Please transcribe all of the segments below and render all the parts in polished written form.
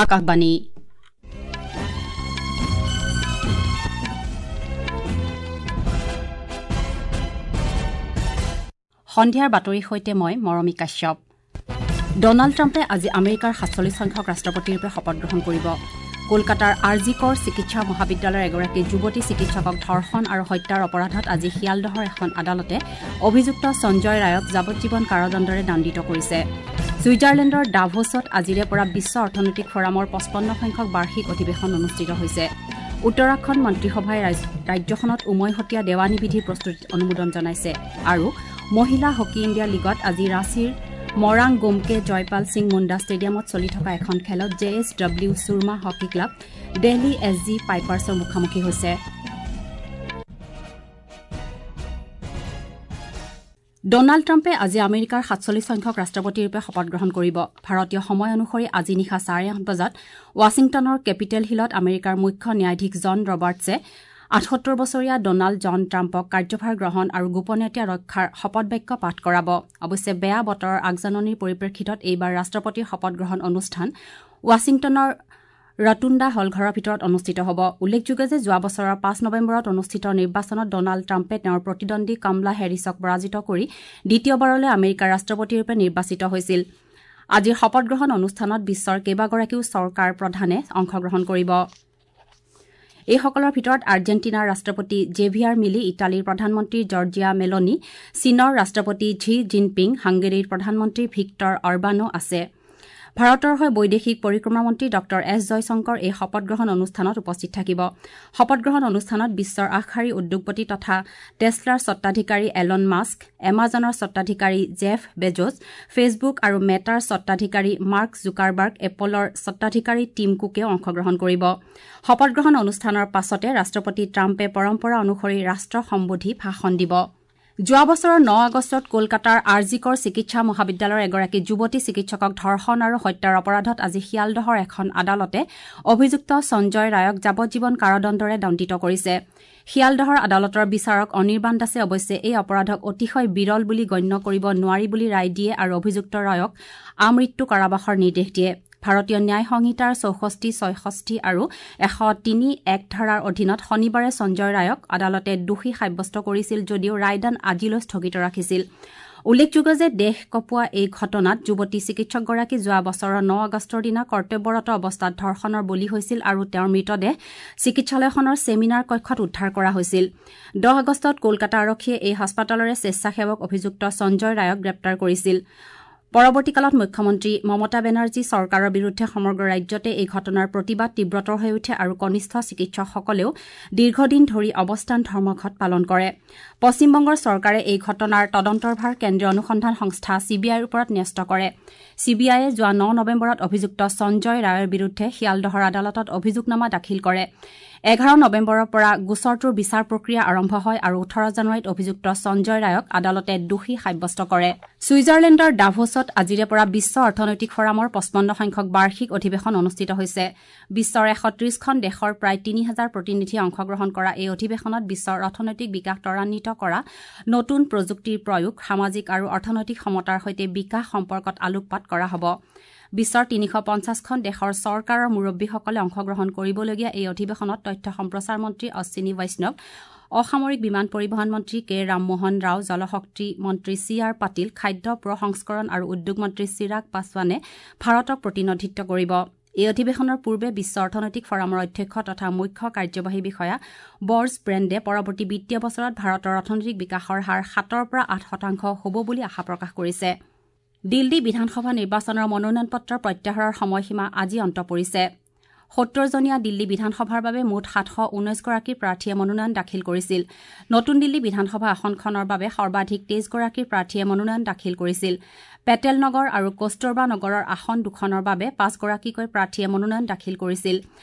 আকাশবাণী। সন্ধিয়াৰ বাতৰিৰ সৈতে মই মৰমী কাশ্যপ। ডনাল্ড ট্ৰাম্পে আজি আমেৰিকাৰ 47 সংখ্যক ৰাষ্ট্ৰপতিৰূপে শপত গ্ৰহণ কৰিব। কলকাতাৰ আৰ জি কৰ চিকিৎসা মহাবিদ্যালয়ৰ এগৰাকী যুৱতী চিকিৎসকক ধৰ্ষণ আৰু হত্যাৰ অপৰাধত আজি শিয়ালদহৰ এখন আদালতে অভিযুক্ত সঞ্জয় ৰায়ক যাৱজ্জীৱন কাৰাদণ্ডৰে দণ্ডিত কৰিছে। ছুইজাৰলেণ্ডৰ ডাভোছত আজিৰে পৰা বিশ্ব অৰ্থনৈতিক ফৰামৰ 55 সংখ্যক বাৰ্ষিক অধিৱেশন অনুষ্ঠিত হৈছে। উত্তৰাখণ্ড মন্ত্ৰীসভাই ৰাজ্যখনত উমৈহতীয়া দেৱানী বিধিৰ প্ৰস্তুতিত অনুমোদন জনাইছে। আৰু মহিলা হকী ইণ্ডিয়া লীগত আজি ৰাঁচীৰ মৰাং গোমকে জয়পাল সিং মুণ্ডা ষ্টেডিয়ামত চলি থকা এখন খেলত J S W Soorma hockey club Delhi S G পাইপাৰ্ছৰ মুখামুখি হৈছে। ডনাল্ড ট্ৰাম্পে আজি আমেৰিকাৰ 47 সংখ্যক ৰাষ্ট্ৰপতিৰূপে শপত গ্ৰহণ কৰিব। ভাৰতীয় সময় অনুসৰি আজি নিশা 8:30 বজাত ৱাশ্বিংটনৰ কেপিটেল হিলত আমেৰিকাৰ মুখ্য ন্যায়াধীশ জন ৰবাৰ্টছে 78 বছৰীয়া ডনাল্ড জন ট্ৰাম্পক কাৰ্যভাৰ গ্ৰহণ আৰু গোপনীয়তা ৰক্ষাৰ শপতবাক্য পাঠ কৰাব। অৱশ্যে বেয়া বতৰৰ আগজাননীৰ পৰিপ্ৰেক্ষিতত এইবাৰ ৰাষ্ট্ৰপতিৰ শপত গ্ৰহণ অনুষ্ঠান ৱাশ্বিংটনৰ ৰটুণ্ডা হলঘৰৰ ভিতৰত অনুষ্ঠিত হ'ব। উল্লেখযোগ্য যে যোৱা বছৰৰ 5 নৱেম্বৰত অনুষ্ঠিত নিৰ্বাচনত ডনাল্ড ট্ৰাম্পে তেওঁৰ প্ৰতিদ্বন্দ্বী কমলা হেৰিছক পৰাজিত কৰি দ্বিতীয়বাৰলৈ আমেৰিকাৰ ৰাষ্ট্ৰপতিৰূপে নিৰ্বাচিত হৈছিল। আজিৰ শপত গ্ৰহণ অনুষ্ঠানত বিশ্বৰ কেইবাগৰাকীও চৰকাৰ প্ৰধানে অংশগ্ৰহণ কৰিব। এইসকলৰ ভিতৰত আৰ্জেণ্টিনাৰ ৰাষ্ট্ৰপতি জেভিয়াৰ মিলি, ইটালীৰ প্ৰধানমন্ত্ৰী জৰ্জিয়া মেলনি, চীনৰ ৰাষ্ট্ৰপতি ঝি জিনপিং, হাংগেৰীৰ প্ৰধানমন্ত্ৰী ভিক্টৰ অৰবানো আছে। ভাৰতৰ হৈ বৈদেশিক পৰিক্ৰমা মন্ত্ৰী ডঃ এছ জয়শংকৰ এই শপত গ্ৰহণ অনুষ্ঠানত উপস্থিত থাকিব। শপত গ্ৰহণ অনুষ্ঠানত বিশ্বৰ আগশাৰীৰ উদ্যোগপতি তথা টেছলাৰ স্বত্বাধিকাৰী এলন মাস্ক, এমাজনৰ স্বত্বাধিকাৰী জেফ বেজোছ, ফেচবুক আৰু মেটাৰ স্বত্বাধিকাৰী মাৰ্ক জুকাৰবাৰ্গ, এপলৰ স্বত্বাধিকাৰী টিম কুকেও অংশগ্ৰহণ কৰিব। শপত গ্ৰহণ অনুষ্ঠানৰ পাছতে ৰাষ্ট্ৰপতি ট্ৰাম্পে পৰম্পৰা অনুসৰি ৰাষ্ট্ৰ সম্বোধি ভাষণ দিব। যোৱা বছৰৰ 9 আগষ্টত কলকাতাৰ আৰ জি কৰ চিকিৎসা মহাবিদ্যালয়ৰ এগৰাকী যুৱতী চিকিৎসকক ধৰ্ষণ আৰু হত্যাৰ অপৰাধত আজি শিয়ালদহৰ এখন আদালতে অভিযুক্ত সঞ্জয় ৰায়ক যাৱজ্জীৱন কাৰাদণ্ডৰে দণ্ডিত কৰিছে। শিয়ালদহৰ আদালতৰ বিচাৰক অনিৰ্বাণ দাসে অৱশ্যে এই অপৰাধক অতিশয় বিৰল বুলি গণ্য কৰিব নোৱাৰি বুলি ৰায় দিয়ে আৰু অভিযুক্ত ৰায়ক আমৃত্যু কাৰাবাসৰ নিৰ্দেশ দিয়ে। ভাৰতীয় ন্যায় সংহিতাৰ 64, 66 আৰু 103(1) ধাৰাৰ অধীনত শনিবাৰে সঞ্জয় ৰায়ক আদালতে দোষী সাব্যস্ত কৰিছিল যদিও ৰায়দান আজিলৈ স্থগিত ৰাখিছিল। উল্লেখযোগ্য যে দেশ কঁপোৱা এই ঘটনাত যুৱতী চিকিৎসকগৰাকী যোৱা বছৰৰ 9 আগষ্টৰ দিনা কৰ্তব্যৰত অৱস্থাত ধৰ্ষণৰ বলি হৈছিল আৰু তেওঁৰ মৃতদেহ চিকিৎসালয়খনৰ ছেমিনাৰ কক্ষত উদ্ধাৰ কৰা হৈছিল। 10 আগষ্টত কলকাতা আৰক্ষীয়ে এই হাস্পতালৰে স্বেচ্ছাসেৱক অভিযুক্ত সঞ্জয় ৰায়ক গ্ৰেপ্তাৰ কৰিছিল। পৰৱৰ্তীকালত মুখ্যমন্ত্ৰী মমতা বেনাৰ্জী চৰকাৰৰ বিৰুদ্ধে সমগ্ৰ ৰাজ্যতে এই ঘটনাৰ প্ৰতিবাদ তীব্ৰতৰ হৈ উঠে আৰু কনিষ্ঠ চিকিৎসকসকলেও দীৰ্ঘদিন ধৰি অৱস্থান ধৰ্মঘট পালন কৰে। পশ্চিমবংগৰ চৰকাৰে এই ঘটনাৰ তদন্তৰ ভাৰ কেন্দ্ৰীয় অনুসন্ধান সংস্থা চি বি আইৰ ওপৰত ন্যস্ত কৰে। চি বি আইয়ে যোৱা 9 নৱেম্বৰত অভিযুক্ত সঞ্জয় ৰায়ৰ বিৰুদ্ধে শিয়ালদহৰ আদালতত অভিযোগনামা দাখিল কৰে। 11 নৱেম্বৰৰ পৰা গোচৰটোৰ বিচাৰ প্ৰক্ৰিয়া আৰম্ভ হয় আৰু 18 জানুৱাৰীত অভিযুক্ত সঞ্জয় ৰায়ক আদালতে দোষী সাব্যস্ত কৰে। ছুইজাৰলেণ্ডৰ ডাভোছত আজিৰে পৰা বিশ্ব অৰ্থনৈতিক ফৰামৰ 55 সংখ্যক বাৰ্ষিক অধিৱেশন অনুষ্ঠিত হৈছে। বিশ্বৰ 130খন দেশৰ প্ৰায় 3000 প্ৰতিনিধিয়ে অংশগ্ৰহণ কৰা এই অধিৱেশনত বিশ্বৰ অৰ্থনৈতিক বিকাশ ত্বৰান্বিত কৰা, নতুন প্ৰযুক্তিৰ প্ৰয়োগ, সামাজিক আৰু অৰ্থনৈতিক সমতাৰ সৈতে বিকাশ সম্পৰ্কত আলোকপাত কৰা হ'ব। বিশ্বৰ 350খন দেশৰ চৰকাৰৰ মুৰব্বীসকলে অংশগ্ৰহণ কৰিবলগীয়া এই অধিৱেশনত তথ্য সম্প্ৰচাৰ মন্ত্ৰী অশ্বিনী বৈষ্ণৱ, অসামৰিক বিমান পৰিবহণ মন্ত্ৰী কে ৰামমোহন ৰাও, জলশক্তি মন্ত্ৰী চি আৰ পাটিল, খাদ্য প্ৰসংস্কৰণ আৰু উদ্যোগ মন্ত্ৰী চিৰাগ পাছোৱানে ভাৰতক প্ৰতিনিধিত্ব কৰিব। এই অধিৱেশনৰ পূৰ্বে বিশ্ব অৰ্থনৈতিক ফৰামৰ অধ্যক্ষ তথা মুখ্য কাৰ্যবাহী বিষয়া বৰ্জ ব্ৰেণ্ডে পৰৱৰ্তী বিত্তীয় বছৰত ভাৰতৰ অৰ্থনৈতিক বিকাশৰ হাৰ 7ৰ পৰা 8% হ'ব বুলি আশা প্ৰকাশ কৰিছে। দিল্লী বিধানসভা নিৰ্বাচনৰ মনোনয়ন পত্ৰ প্ৰত্যাহাৰৰ সময়সীমা আজি অন্ত পৰিছে। 70জনীয়া দিল্লী বিধানসভাৰ বাবে মুঠ 719গৰাকী প্ৰাৰ্থীয়ে মনোনয়ন দাখিল কৰিছিল। নতুন দিল্লী বিধানসভা আসনখনৰ বাবে সৰ্বাধিক 23গৰাকী প্ৰাৰ্থীয়ে মনোনয়ন দাখিল কৰিছিল। পেটেল নগৰ আৰু কস্তুৰবা নগৰৰ আসন দুখনৰ বাবে 5গৰাকীকৈ প্ৰাৰ্থীয়ে মনোনয়ন দাখিল কৰিছিল।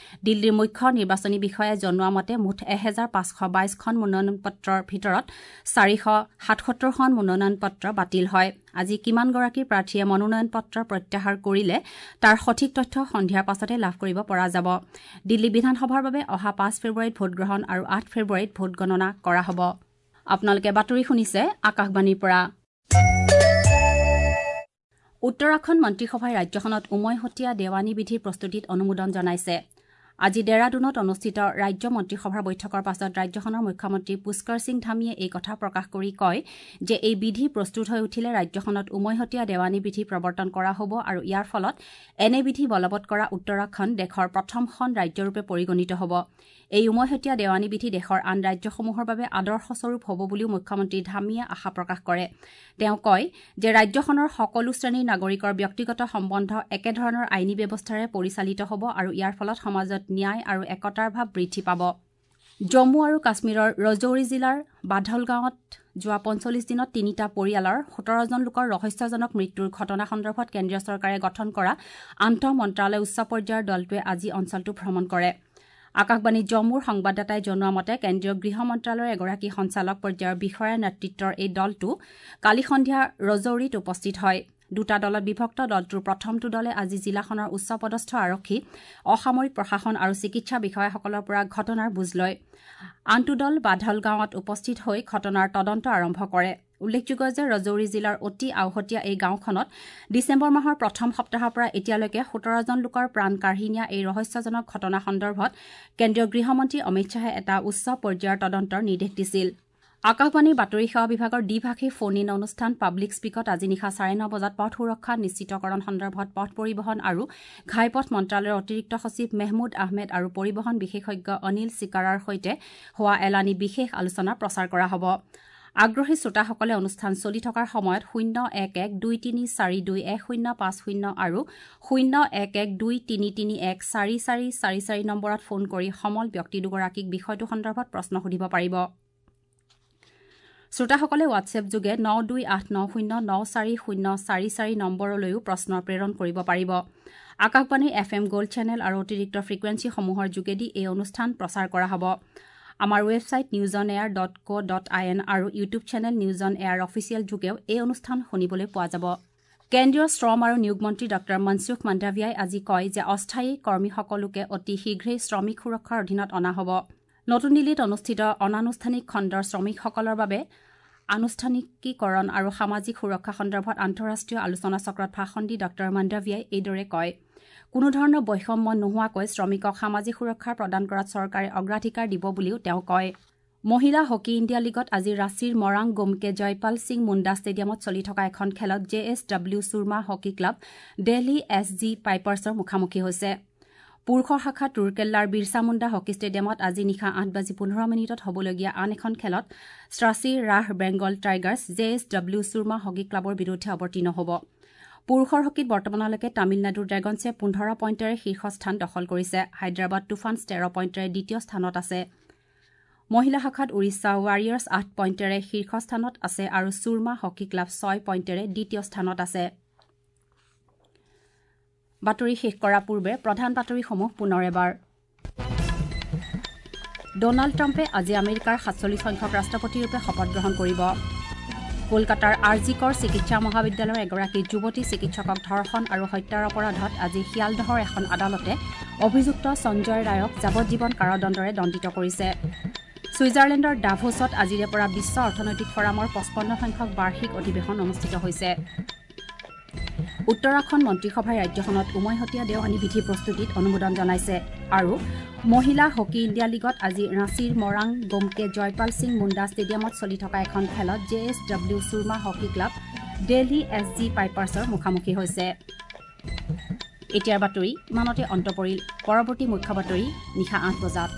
দিল্লীৰ মুখ্য নিৰ্বাচনী বিষয়াই জনোৱা মতে মুঠ 1522খন মনোনয়ন পত্ৰৰ ভিতৰত 477খন মনোনয়ন পত্ৰ বাতিল হয়। আজি কিমানগৰাকী প্ৰাৰ্থীয়ে মনোনয়ন পত্ৰ প্ৰত্যাহাৰ কৰিলে তাৰ সঠিক তথ্য সন্ধিয়াৰ পাছতে লাভ কৰিব পৰা যাব। দিল্লী বিধানসভাৰ বাবে অহা 5 ফেব্ৰুৱাৰীত ভোটগ্ৰহণ আৰু 8 ফেব্ৰুৱাৰীত ভোটগণনা কৰা হ'ব। আপোনালোকে বাতৰি শুনিছে আকাশবাণীৰ পৰা। উত্তৰাখণ্ড মন্ত্ৰীসভাই ৰাজ্যখনত উমৈহতীয়া দেৱানী বিধিৰ প্ৰস্তুতিত অনুমোদন জনাইছে। আজি ডেৰাডুনত অনুষ্ঠিত ৰাজ্য মন্ত্ৰীসভাৰ বৈঠকৰ পাছত ৰাজ্যখনৰ মুখ্যমন্ত্ৰী পুষ্কৰ সিং ধামীয়ে এই কথা প্ৰকাশ কৰি কয় যে এই বিধি প্ৰস্তুত হৈ উঠিলে ৰাজ্যখনত উমৈহতীয়া দেৱানী বিধি প্ৰৱৰ্তন কৰা হ'ব আৰু ইয়াৰ ফলত এনে বিধি বলবৎ কৰা উত্তৰাখণ্ড দেশৰ প্ৰথমখন ৰাজ্যৰূপে পৰিগণিত হ'ব। এই উমৈহতীয়া দেৱানী বিধি দেশৰ আন ৰাজ্যসমূহৰ বাবে আদৰ্শস্বৰূপ হ'ব বুলিও মুখ্যমন্ত্ৰী ধামীয়ে আশা প্ৰকাশ কৰে। তেওঁ কয় যে ৰাজ্যখনৰ সকলো শ্ৰেণীৰ নাগৰিকৰ ব্যক্তিগত সম্বন্ধ একেধৰণৰ আইনী ব্যৱস্থাৰে পৰিচালিত হ'ব আৰু ইয়াৰ ফলত সমাজত ন্যায় আৰু একতাৰ ভাৱ বৃদ্ধি পাব। জম্মু আৰু কাশ্মীৰৰ ৰজৌৰি জিলাৰ বাধল গাঁৱত যোৱা ৪৫ দিনত তিনিটা পৰিয়ালৰ ১৭জন লোকৰ ৰহস্যজনক মৃত্যুৰ ঘটনা সন্দৰ্ভত কেন্দ্ৰীয় চৰকাৰে গঠন কৰা আন্তঃ মন্ত্ৰালয় উচ্চ পৰ্যায়ৰ দলটোৱে আজি অঞ্চলটো ভ্ৰমণ কৰে। আকাশবাণী জম্মুৰ সংবাদদাতাই জনোৱা মতে কেন্দ্ৰীয় গৃহ মন্ত্ৰালয়ৰ এগৰাকী সঞ্চালক পৰ্যায়ৰ বিষয়াৰ নেতৃত্বৰ এই দলটো কালি সন্ধিয়া ৰজৌৰিত উপস্থিত হয়। দুটা দলত বিভক্ত দলটোৰ প্ৰথমটো দলে আজি জিলাখনৰ উচ্চপদস্থ আৰক্ষী, অসামৰিক প্ৰশাসন আৰু চিকিৎসা বিষয়াসকলৰ পৰা ঘটনাৰ বুজ লয়। আনটো দল বাধল গাঁৱত উপস্থিত হৈ ঘটনাৰ তদন্ত আৰম্ভ কৰে। উল্লেখযোগ্য যে ৰজৌৰি জিলাৰ অতি আওহতীয়া এই গাঁওখনত ডিচেম্বৰ মাহৰ প্ৰথম সপ্তাহৰ পৰা এতিয়ালৈকে ১৭জন লোকৰ প্ৰাণ কাঢ়ি নিয়া এই ৰহস্যজনক ঘটনা সন্দৰ্ভত কেন্দ্ৰীয় গৃহমন্ত্ৰী অমিত শ্বাহে এটা উচ্চ পৰ্যায়ৰ তদন্তৰ নিৰ্দেশ দিছিল। আকাশবাণীৰ বাতৰি সেৱা বিভাগৰ দ্বিভাষী ফোন ইন অনুষ্ঠান পাব্লিক স্পীকত আজি নিশা ৯:৩০ বজাত পথ সুৰক্ষা নিশ্চিতকৰণ সন্দৰ্ভত পথ পৰিবহণ আৰু ঘাইপথ মন্ত্ৰালয়ৰ অতিৰিক্ত সচিব মেহমুদ আহমেদ আৰু পৰিবহণ বিশেষজ্ঞ অনিল চিকাৰাৰ সৈতে হোৱা এলানি বিশেষ আলোচনা প্ৰচাৰ কৰা হ'ব। আগ্ৰহী শ্ৰোতাসকলে অনুষ্ঠান চলি থকাৰ সময়ত ০১১ ২৩ ৪ ২ ১ ০ ৫ ০ আৰু ০১১ ২ ৩ ৩ ১ ৪ ৪ ৪ ৪ নম্বৰত ফোন কৰি সমল ব্যক্তি দুগৰাকীক বিষয়টো সন্দৰ্ভত প্ৰশ্ন সুধিব পাৰিব। শ্ৰোতাসকলে হোৱাটছএপ যোগে ৯ ২ ৮ ৯ ০ ৯ ৪ ০ ৪ ৪ নম্বৰলৈও প্ৰশ্ন প্ৰেৰণ কৰিব পাৰিব। আকাশবাণীৰ এফ এম গ'ল্ড চেনেল আৰু অতিৰিক্ত ফ্ৰিকুৱেঞ্চিসমূহৰ যোগেদি এই অনুষ্ঠান প্ৰচাৰ কৰা হ'ব। আমাৰ website news on air dot co dot I N আৰু YouTube channel news on air official যোগেও এই অনুষ্ঠান শুনিবলৈ পোৱা যাব। কেন্দ্ৰীয় শ্ৰম আৰু নিয়োগ মন্ত্ৰী ডঃ মনসুখ মাণ্ডাভিয়াই আজি কয় যে অস্থায়ী কৰ্মীসকলোকে অতি শীঘ্ৰেই শ্ৰমিক সুৰক্ষাৰ অধীনত অনা হ'ব। নতুন দিল্লীত অনুষ্ঠিত অনানুষ্ঠানিক খণ্ডৰ শ্ৰমিকসকলৰ বাবে আনুষ্ঠানিকীকৰণ আৰু সামাজিক সুৰক্ষা সন্দৰ্ভত আন্তঃৰাষ্ট্ৰীয় আলোচনা চক্ৰত ভাষণ দি ডঃ মাণ্ডাভিয়াই এইদৰে কয়। কোনোধৰণৰ বৈষম্য নোহোৱাকৈ শ্ৰমিকক সামাজিক সুৰক্ষা প্ৰদান কৰাত চৰকাৰে অগ্ৰাধিকাৰ দিব বুলিও তেওঁ কয়। মহিলা হকী ইণ্ডিয়া লীগত আজি ৰাঁচীৰ মৰাং গোমকে জয়পাল সিং মুণ্ডা ষ্টেডিয়ামত চলি থকা এখন খেলত J S W Soorma hockey club Delhi S G পাইপাৰ্ছৰ মুখামুখি হৈছে। পুৰুষৰ শাখাত ৰুৰকেল্লাৰ বিৰছা মুণ্ডা হকী ষ্টেডিয়ামত আজি নিশা ৮:১৫ হ'বলগীয়া আন এখন খেলত শ্ৰাচী ৰাহ Bengal Tigers J S W Soorma hockey ক্লাবৰ বিৰুদ্ধে অৱতীৰ্ণ হ'ব। পুৰুষৰ হকীত বৰ্তমানলৈকে তামিলনাডুৰ ড্ৰেগনছে ১৫ পইণ্টেৰে শীৰ্ষস্থান দখল কৰিছে। হায়দৰাবাদ তুফানছ ১৩ পইণ্টেৰে দ্বিতীয় স্থানত আছে। মহিলা শাখাত উৰিষ্যা ৱাৰিয়াৰ্ছ ৮ পইণ্টেৰে শীৰ্ষস্থানত আছে আৰু ছুৰমা হকী ক্লাব ৬ পইণ্টেৰে দ্বিতীয় স্থানত আছে। বাতৰি শেষ কৰাৰ পূৰ্বে প্ৰধান বাতৰিসমূহ পুনৰ এবাৰ। ডনাল্ড ট্ৰাম্পে আজি আমেৰিকাৰ ৪৭ সংখ্যক ৰাষ্ট্ৰপতিৰূপে শপত গ্ৰহণ কৰিব। কলকাতাৰ আৰ জি কৰ চিকিৎসা মহাবিদ্যালয়ৰ এগৰাকী যুৱতী চিকিৎসকক ধৰ্ষণ আৰু হত্যাৰ অপৰাধত আজি শিয়ালদহৰ এখন আদালতে অভিযুক্ত সঞ্জয় ৰায়ক যাৱজ্জীৱন কাৰাদণ্ডৰে দণ্ডিত কৰিছে। ছুইজাৰলেণ্ডৰ ডাভোছত আজিৰে পৰা বিশ্ব অৰ্থনৈতিক ফৰামৰ ৫৫ সংখ্যক বাৰ্ষিক অধিৱেশন অনুষ্ঠিত হৈছে। উত্তৰাখণ্ড মন্ত্ৰীসভাই ৰাজ্যখনত উমৈহতীয়া দেৱানী বিধি প্ৰস্তুতিত অনুমোদন জনাইছে। আৰু মহিলা হকী ইণ্ডিয়া লীগত আজি ৰাঁচীৰ মৰাং গোমকে জয়পাল সিং মুণ্ডা ষ্টেডিয়ামত চলি থকা এখন খেলত J S W Soorma hockey club Delhi S G পাইপাৰ্ছৰ মুখামুখি হৈছে। এতিয়াৰ বাতৰি ইমানতে অন্ত পৰিল। পৰৱৰ্তী মুখ্য বাতৰি নিশা ৮ বজাত।